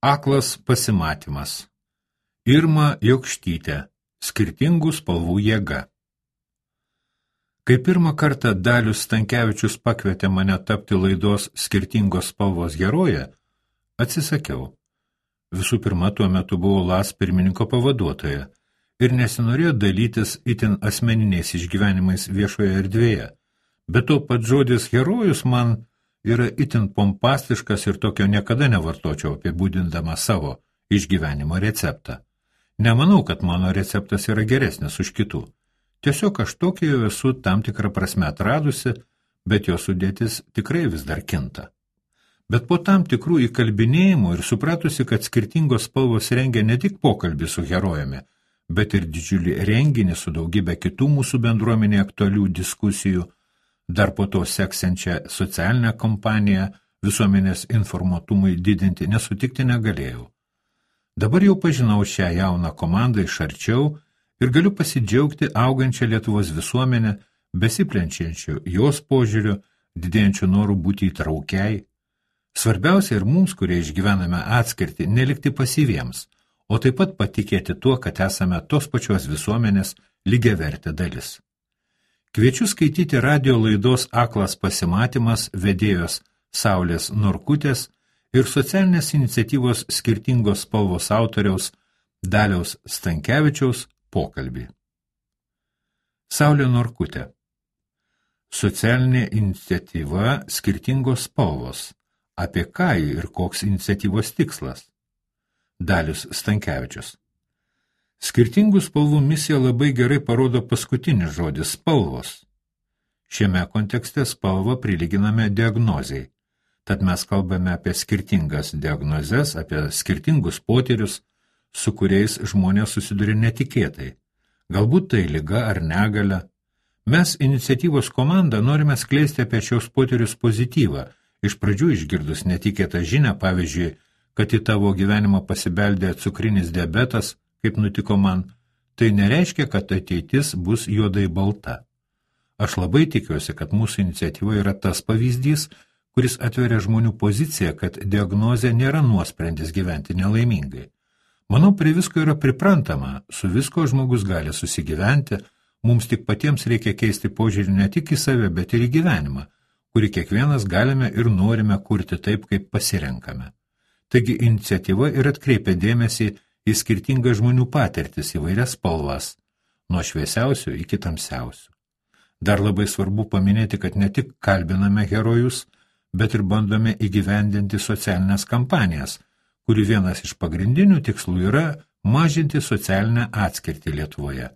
Aklas pasimatymas. Irma Jokštytė. Skirtingų spalvų jėga. Kai pirmą kartą Dalius Stankevičius pakvietė mane tapti laidos Skirtingos spalvos heroje, atsisakiau. Visų pirma, tuo metu buvau LAS pirmininko pavaduotoja ir nesinorėjo dalytis itin asmeniniais išgyvenimais viešoje erdvėje. Bet to pats žodis herojus man yra itin pompastiškas ir tokio niekada nevartočiau apibūdindama savo išgyvenimo receptą. Nemanau, kad mano receptas yra geresnis už kitų. Tiesiog aš tokį jau esu tam tikrą prasme atradusi, bet jo sudėtis tikrai vis dar kinta. Bet po tam tikrų įkalbinėjimų ir supratusi, kad skirtingos spalvos rengia ne tik pokalbį su herojumi, bet ir didžiulį renginį su daugybė kitų mūsų bendruomenė aktualių diskusijų, dar po to seksančią socialinę kampaniją visuomenės informuotumui didinti nesutikti negalėjau. Dabar jau pažinau šią jauną komandą iš arčiau ir galiu pasidžiaugti augančią Lietuvos visuomenę, besiplenčiančių jos požiūriu, didėjančių norų būti įtraukiai. Svarbiausia ir mums, kurie išgyvename atskirtį, nelikti pasyviems, o taip pat patikėti tuo, kad esame tos pačios visuomenės lygiavertė dalis. Kviečiu skaityti radio laidos Aklas pasimatymas vedėjos Saulės Norkutės ir socialinės iniciatyvos Skirtingos spalvos autoriaus Daliaus Stankevičiaus pokalbį. Saulė Norkutė. Socialinė iniciatyva Skirtingos spalvos. Apie ką ir koks iniciatyvos tikslas? Dalius Stankevičius. Skirtingų spalvų misija labai gerai parodo paskutinis žodis – spalvos. Šiame kontekste spalvą prilyginame diagnozei. Tad mes kalbame apie skirtingas diagnozes, apie skirtingus potyrius, su kuriais žmonės susiduria netikėtai. Galbūt tai liga ar negalia. Mes iniciatyvos komanda norime skleisti apie šios potyrius pozityvą, iš pradžių išgirdus netikėtą žinią, pavyzdžiui, kad į tavo gyvenimą pasibeldė cukrinis diabetas, kaip nutiko man, tai nereiškia, kad ateitis bus juodai balta. Aš labai tikiuosi, kad mūsų iniciatyva yra tas pavyzdys, kuris atveria žmonių poziciją, kad diagnozė nėra nuosprendis gyventi nelaimingai. Manau, prie visko yra priprantama, su visko žmogus gali susigyventi, mums tik patiems reikia keisti požiūrį ne tik į save, bet ir į gyvenimą, kurį kiekvienas galime ir norime kurti taip, kaip pasirenkame. Taigi iniciatyva ir atkreipia dėmesį į skirtingas žmonių patirtis įvairias spalvas, nuo šviesiausių iki tamsiausių. Dar labai svarbu paminėti, kad ne tik kalbiname herojus, bet ir bandome įgyvendinti socialinės kampanijas, kurių vienas iš pagrindinių tikslų yra mažinti socialinę atskirtį Lietuvoje.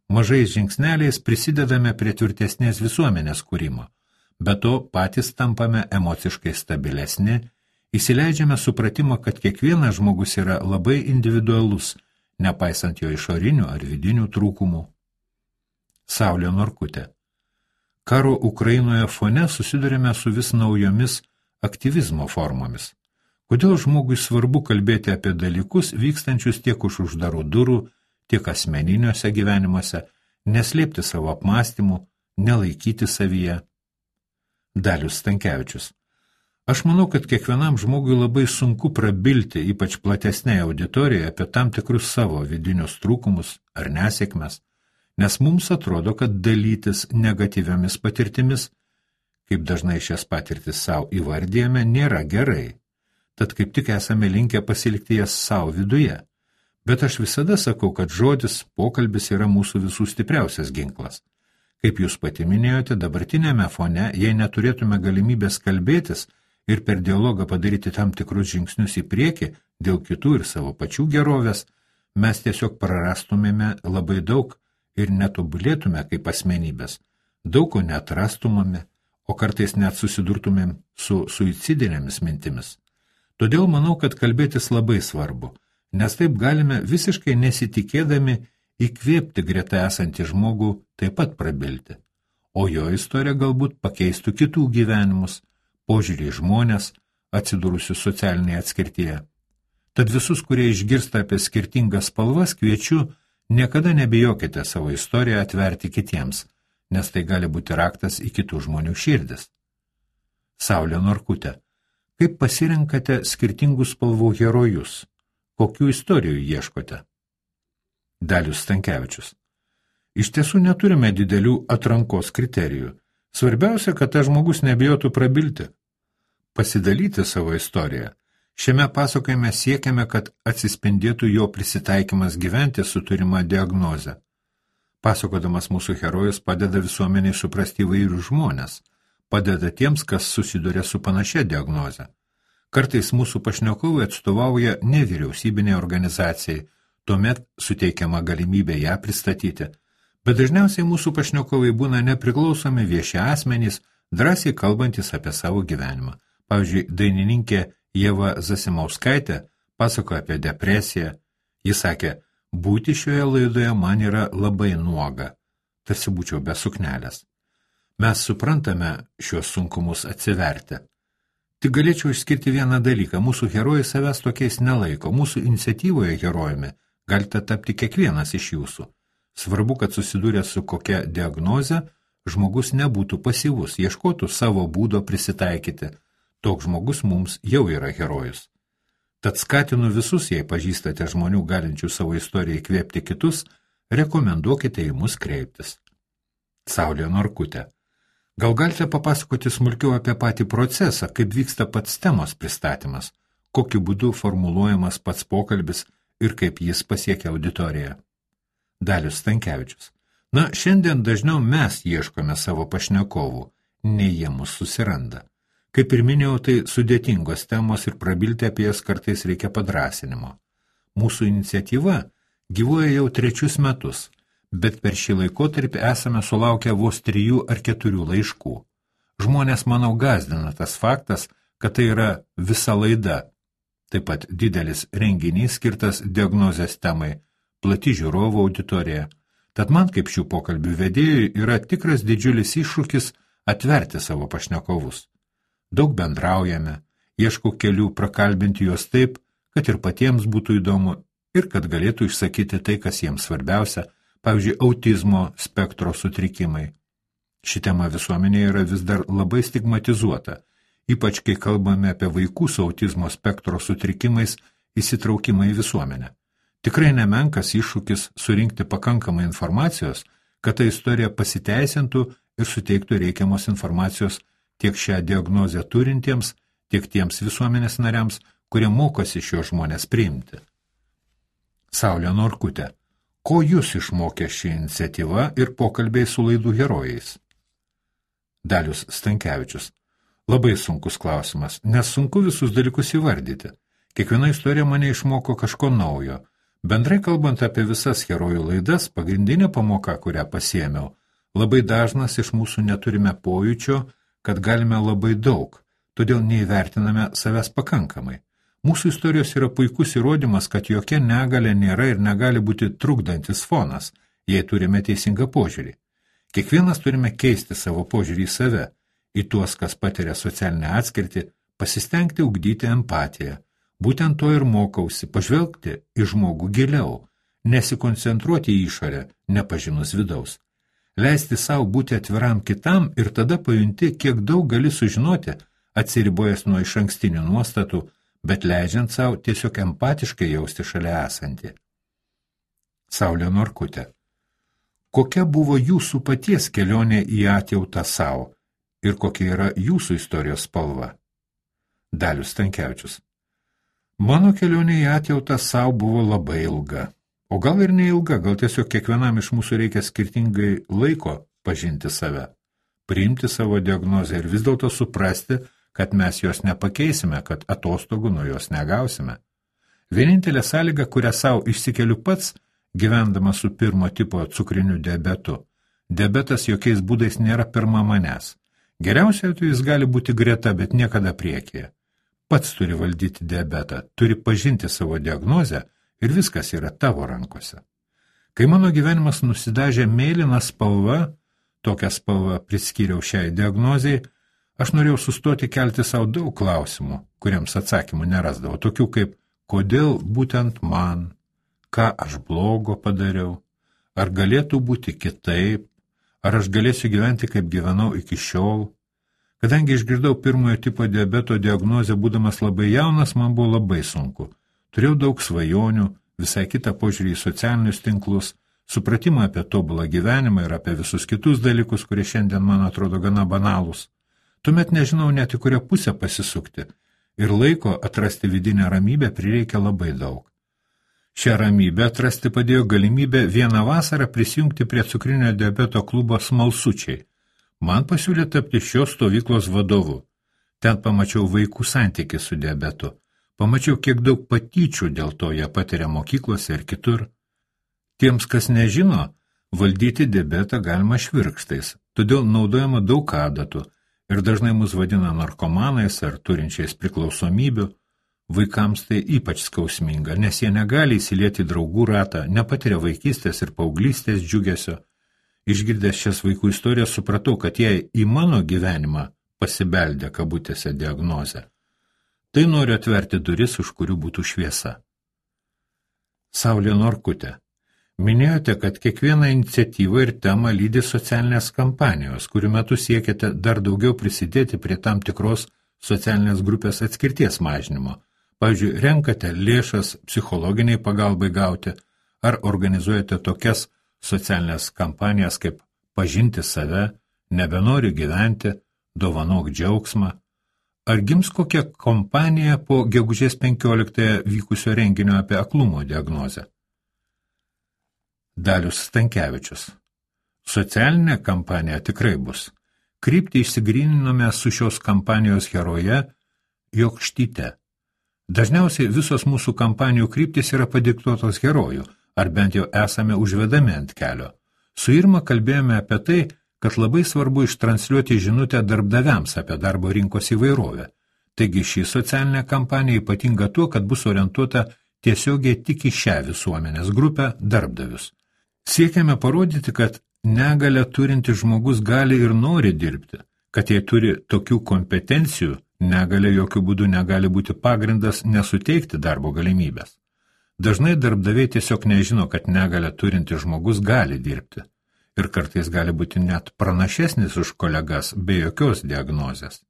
Mažais žingsneliais prisidedame prie tvirtesnės visuomenės kūrimo, be to patys tampame emociškai stabilesni, įsileidžiame supratimą, kad kiekvienas žmogus yra labai individualus, nepaisant jo išorinių ar vidinių trūkumų. Saulė Norkutė. Karo Ukrainoje fone susidurime su vis naujomis aktyvizmo formomis. Kodėl žmogui svarbu kalbėti apie dalykus vykstančius tiek už uždarų durų, tiek asmeniniuose gyvenimuose, neslėpti savo apmąstymų, nelaikyti savyje? Dalius Stankevičius. Aš manau, kad kiekvienam žmogui labai sunku prabilti, ypač platesnėje auditorijoje, apie tam tikrus savo vidinius trūkumus ar nesėkmes, nes mums atrodo, kad dalytis negatyviomis patirtimis, kaip dažnai šias patirtis savo įvardėjame, nėra gerai. Tad kaip tik esame linkę pasilikti jas savo viduje. Bet aš visada sakau, kad žodis, pokalbis yra mūsų visų stipriausias ginklas. Kaip jūs pati minėjote, dabartinėme fone, jei neturėtume galimybės kalbėtis, ir per dialogą padaryti tam tikrus žingsnius į priekį dėl kitų ir savo pačių gerovės, mes tiesiog prarastumėme labai daug ir netobulėtume kaip asmenybės, daug ko neatrastumėme, o kartais net susidurtumėm su suicidinėmis mintimis. Todėl manau, kad kalbėtis labai svarbu, nes taip galime visiškai nesitikėdami įkvėpti greta esantį žmogų taip pat prabilti, o jo istorija galbūt pakeistų kitų gyvenimus, požiūrį į žmonės, atsidūrusius socialinėje atskirtyje. Tad visus, kurie išgirsta apie skirtingas spalvas, kviečiu, niekada nebijokite savo istoriją atverti kitiems, nes tai gali būti raktas į kitų žmonių širdis. Saulė Norkutė. Kaip pasirenkate skirtingų spalvų herojus? Kokių istorijų ieškote? Dalius Stankevičius. Iš tiesų neturime didelių atrankos kriterijų. Svarbiausia, kad tas žmogus nebijotų prabilti, pasidalyti savo istoriją. Šiame pasakojime siekiame, kad atsispindėtų jo prisitaikymas gyventi su turima diagnoze. Pasakodamas mūsų herojus padeda visuomeniai suprasti įvairių žmonės, padeda tiems, kas susiduria su panašia diagnoze. Kartais mūsų pašnekovai atstovauja nevyriausybinė organizacijai, tuomet suteikiama galimybė ją pristatyti. Bet dažniausiai mūsų pašnekovai būna nepriklausomi vieši asmenys, drąsiai kalbantis apie savo gyvenimą. Pavyzdžiui, dainininkė Ieva Zasimauskaitė pasakoja apie depresiją. Ji sakė, būti šioje laidoje man yra labai nuoga, tarsi būčiau be suknelės. Mes suprantame šios sunkumus atsiverti. Tik galėčiau išskirti vieną dalyką, mūsų herojai savęs tokiais nelaiko, mūsų iniciatyvoje herojumi galite tapti kiekvienas iš jūsų. Svarbu, kad susidūrę su kokia diagnoze, žmogus nebūtų pasyvus, ieškotų savo būdo prisitaikyti. Toks žmogus mums jau yra herojus. Tad skatinu visus, jei pažįstate žmonių galinčių savo istoriją įkvėpti kitus, rekomenduokite į mus kreiptis. Saulė Norkutė. Gal galite papasakoti smulkiau apie patį procesą, kaip vyksta pats temos pristatymas, kokiu būdu formuluojamas pats pokalbis ir kaip jis pasiekia auditoriją? Dalius Stankevičius. Na, šiandien dažniau mes ieškome savo pašnekovų, nei jie mus susiranda. Kaip ir minėjau, tai sudėtingos temos ir prabilti apie jas kartais reikia padrąsinimo. Mūsų iniciatyva gyvuoja jau 3 metus, bet per šį laikotarpį esame sulaukę vos 3 ar 4 laiškų. Žmonės, manau, gąsdina tas faktas, kad tai yra visa laida. Taip pat didelis renginys skirtas diagnozės temai, plati žiūrovų auditorija. Tad man kaip šių pokalbių vedėjui yra tikras didžiulis iššūkis atverti savo pašnekovus. Daug bendraujame, ieškau kelių prakalbinti juos taip, kad ir patiems būtų įdomu ir kad galėtų išsakyti tai, kas jiems svarbiausia, pavyzdžiui, autizmo spektro sutrikimai. Ši tema visuomenėje yra vis dar labai stigmatizuota, ypač kai kalbame apie vaikų su autizmo spektro sutrikimais įsitraukimą į visuomenę. Tikrai nemenkas iššūkis surinkti pakankamai informacijos, kad ta istorija pasiteisintų ir suteiktų reikiamos informacijos tiek šią diagnozę turintiems, tiek tiems visuomenės nariams, kurie mokosi šios žmonės priimti. Saulė Norkutė. Ko jūs išmokė ši iniciatyva ir pokalbiai su laidų herojais? Dalius Stankevičius. Labai sunkus klausimas, nes sunku visus dalykus įvardyti. Kiekviena istorija mane išmoko kažko naujo. Bendrai kalbant apie visas herojų laidas, pagrindinė pamoka, kurią pasiėmiau, labai dažnas iš mūsų neturime pojūčio, kad galime labai daug, todėl neįvertiname savęs pakankamai. Mūsų istorijos yra puikus įrodymas, kad jokia negalia nėra ir negali būti trukdantis fonas, jei turime teisingą požiūrį. Kiekvienas turime keisti savo požiūrį į save, į tuos, kas patiria socialinę atskirtį, pasistengti ugdyti empatiją. Būtent to ir mokausi, pažvelgti į žmogų giliau, nesikoncentruoti į išorę, nepažinus vidaus. Leisti savo būti atviram kitam ir tada pajunti, kiek daug gali sužinoti, atsiribojęs nuo išankstinių nuostatų, bet leidžiant savo tiesiog empatiškai jausti šalia esantį. Saulė Norkutė. Kokia buvo jūsų paties kelionė į atjautą savo ir kokia yra jūsų istorijos spalva? Dalius Stankevičius. Mano kelionė į atjautą savo buvo labai ilga. O gal ir neilga, gal tiesiog kiekvienam iš mūsų reikia skirtingai laiko pažinti save, priimti savo diagnozę ir vis dėlto suprasti, kad mes jos nepakeisime, kad atostogų nuo jos negausime. Vienintelė sąlyga, kurią savo išsikeliu pats, gyvendamas su 1 tipo cukriniu diabetu. Diabetas jokiais būdais nėra pirma manęs. Geriausiai atveju jis gali būti greta, bet niekada priekyje. Pats turi valdyti diabetą, turi pažinti savo diagnozę ir viskas yra tavo rankose. Kai mano gyvenimas nusidažė mėlyną spalvą, tokią spalvą priskyriau šiai diagnozijai, aš norėjau sustoti kelti savo daug klausimų, kuriems atsakymų nerasdavau, tokių kaip, kodėl būtent man, ką aš blogo padariau, ar galėtų būti kitaip, ar aš galėsiu gyventi, kaip gyvenau iki šiol, Kadangi išgirdau pirmojo tipo diabeto diagnozę būdamas labai jaunas, man buvo labai sunku. Turėjau daug svajonių, visai kitą požiūrį į socialinius tinklus, supratimą apie tobulą gyvenimą ir apie visus kitus dalykus, kurie šiandien man atrodo gana banalūs. Tuomet nežinau net į kurią pusę pasisukti ir laiko atrasti vidinę ramybę prireikia labai daug. Šią ramybę atrasti padėjo galimybę vieną vasarą prisijungti prie cukrinio diabeto klubo Smalsučiai. Man pasiūlė tapti šios stovyklos vadovu. Ten pamačiau vaikų santykį su diabetu. Pamačiau, kiek daug patyčių dėl to jie patiria mokyklose ir kitur. Tiems, kas nežino, valdyti diabetą galima švirkštais, todėl naudojama daug adatų ir dažnai mus vadina narkomanais ar turinčiais priklausomybių. Vaikams tai ypač skausminga, nes jie negali įsilieti į draugų ratą, nepatiria vaikystės ir paauglystės džiugesio. Išgirdęs šias vaikų istorijas supratau, kad jei į mano gyvenimą pasibeldė kabutėse diagnozę, tai noriu atverti duris, už kurių būtų šviesa. Saulė Norkutė, minėjote, kad kiekvieną iniciatyvą ir temą lydi socialinės kampanijos, kurių metu siekiate dar daugiau prisidėti prie tam tikros socialinės grupės atskirties mažinimo. Pavyzdžiui, renkate lėšas psichologiniai pagalbai gauti ar organizuojate tokias socialinės kampanijas kaip pažinti save, nebenori gyventi, dovanok džiaugsmą. Ar gims kokia kompanija po gegužės 15 vykusio renginio apie aklumo diagnozę? Dalius Stankevičius. Socialinė kampanija tikrai bus. Kryptį išsigryninome su šios kampanijos heroje Jokštyte. Dažniausiai visos mūsų kampanijų kryptis yra padiktuotos herojų, ar bent jau esame užvedami ant kelio. Su Irma kalbėjome apie tai, kad labai svarbu ištransliuoti žinutę darbdaviams apie darbo rinkos įvairovę. Taigi ši socialinė kampanija ypatinga tuo, kad bus orientuota tiesiogiai tik į šią visuomenės grupę darbdavius. Siekiame parodyti, kad negalią turintis žmogus gali ir nori dirbti, kad jei turi tokių kompetencijų, negalia jokių būdų negali būti pagrindas nesuteikti darbo galimybės. Dažnai darbdaviai tiesiog nežino, kad negalią turintis žmogus gali dirbti ir kartais gali būti net pranašesnis už kolegas be jokios diagnozės.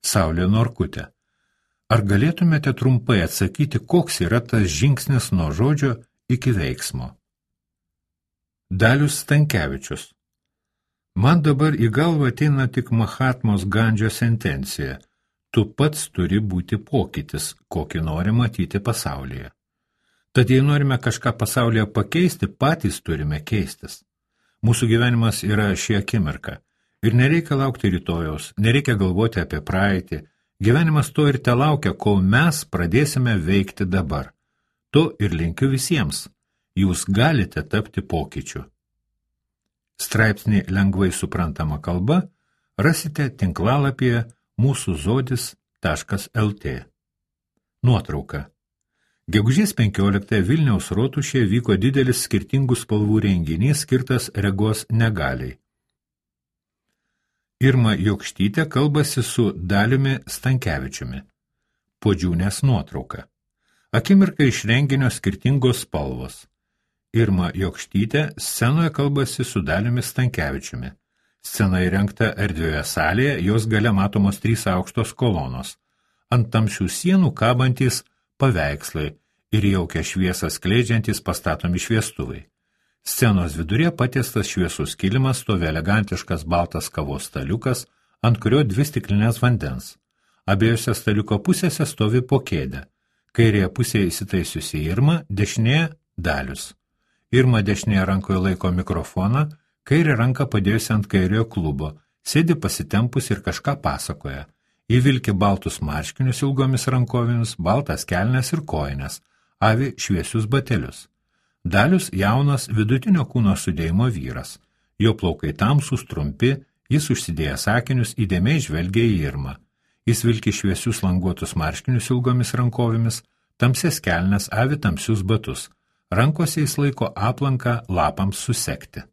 Saulė Norkutė, ar galėtumėte trumpai atsakyti, koks yra tas žingsnis nuo žodžio iki veiksmo? Dalius Stankevičius. Man dabar į galvą ateina tik Mahatmos Gandžio sentencija. Tu pats turi būti pokytis, kokį nori matyti pasaulyje. Tad jei norime kažką pasaulyje pakeisti, patys turime keistis. Mūsų gyvenimas yra ši akimirka. Ir nereikia laukti rytojaus, nereikia galvoti apie praeitį. Gyvenimas to ir telaukia, kol mes pradėsime veikti dabar. To ir linkiu visiems. Jūs galite tapti pokyčiu. Straipsnį lengvai suprantama kalba rasite tinklalapyje mūsuzodis.lt. Nuotrauka. Gegužės 15 Vilniaus rotušėje vyko didelis skirtingų spalvų renginys skirtas regos negaliai. Irma Jokštytė kalbasi su Daliumi Stankevičiumi. Podžiūnės nuotrauka. Akimirka iš renginio skirtingos spalvos. Irma Jokštytė scenoje kalbasi su Daliumi Stankevičiumi. Scena įrengta erdvioje salėje, jos gale matomos 3 aukštos kolonos. Ant tamsių sienų kabantys paveikslai ir jaukia šviesą skleidžiantys pastatomi šviestuvai. Scenos viduryje patiestas šviesus kilimas, stovi elegantiškas baltas kavos staliukas, ant kurio 2 stiklinės vandens. Abiejose staliuko pusėse stovi po kėdę. Kairėje pusėje įsitaisiusi Irma, dešinėje Dalius. Irma dešinėje rankoje laiko mikrofoną, kairę ranką padėjusi ant kairiojo klubo, sėdi pasitempus ir kažką pasakoja. Ji vilki baltus marškinius ilgomis rankovėmis, baltas kelnes ir kojines, avi šviesius batelius. Dalius jaunas vidutinio kūno sudėjimo vyras. Jo plaukai tamsūs, trumpi, jis užsidėjęs akinius įdėmiai žvelgia į Irmą. Jis vilki šviesius languotus marškinius ilgomis rankovėmis, tamsias kelnes, avi tamsius batus. Rankose jis laiko aplanką lapams susekti.